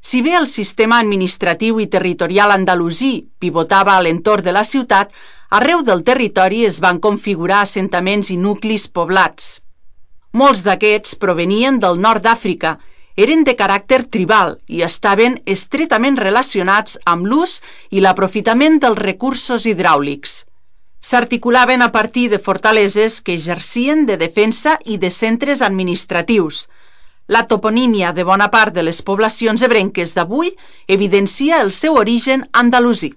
Si bé el sistema administratiu i territorial andalusí pivotava a l'entorn de la ciutat, arreu del territori es van configurar assentaments i nuclis poblats. Molts d'aquests provenien del nord d'Àfrica, eren de caràcter tribal i estaven estretament relacionats amb l'ús i l'aprofitament dels recursos hidràulics. S'articulaven a partir de fortaleses que exercien de defensa i de centres administratius. La toponímia de bona part de les poblacions ebrenques d'avui evidencia el seu origen andalusí.